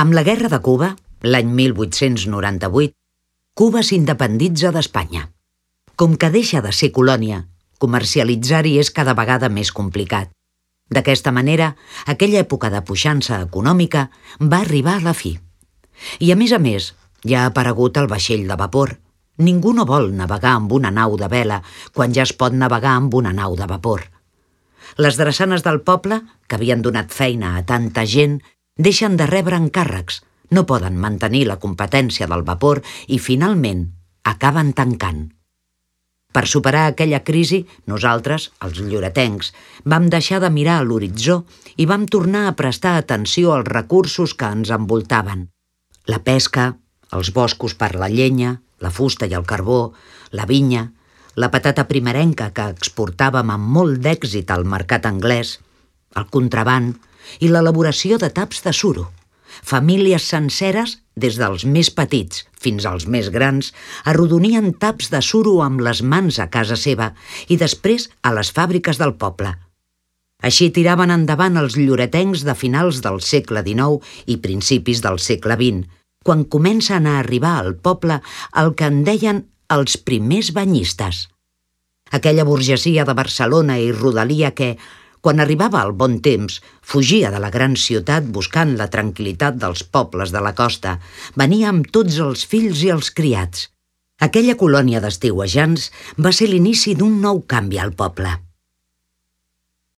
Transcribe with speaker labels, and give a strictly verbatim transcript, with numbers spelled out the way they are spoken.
Speaker 1: Amb la Guerra de Cuba, l'any mil vuit-cents noranta-vuit, Cuba s'independitza d'Espanya. Com que deixa de ser colònia, comercialitzar-hi és cada vegada més complicat. D'aquesta manera, aquella època de puixança econòmica va arribar a la fi. I a més a més, ja ha aparegut el vaixell de vapor. Ningú no vol navegar amb una nau de vela quan ja es pot navegar amb una nau de vapor. Les drassanes del poble, que havien donat feina a tanta gent, deixen de rebre encàrrecs, no poden mantenir la competència del vapor i, finalment, acaben tancant. Per superar aquella crisi, nosaltres, els lloretencs, vam deixar de mirar a l'horitzó i vam tornar a prestar atenció als recursos que ens envoltaven. La pesca, els boscos per la llenya, la fusta i el carbó, la vinya, la patata primerenca que exportàvem amb molt d'èxit al mercat anglès, el contraban i l'elaboració de taps de suro. Famílies senceres, des dels més petits fins als més grans, arrodonien taps de suro amb les mans a casa seva i després a les fàbriques del poble. Així tiraven endavant els lloretencs de finals del segle dinou i principis del segle vint, quan comencen a arribar al poble el que en deien els primers banyistes. Aquella burgesia de Barcelona i rodalia que, quan arribava el bon temps, fugia de la gran ciutat buscant la tranquil·litat dels pobles de la costa, venia amb tots els fills i els criats. Aquella colònia d'estiuejants va ser l'inici d'un nou canvi al poble.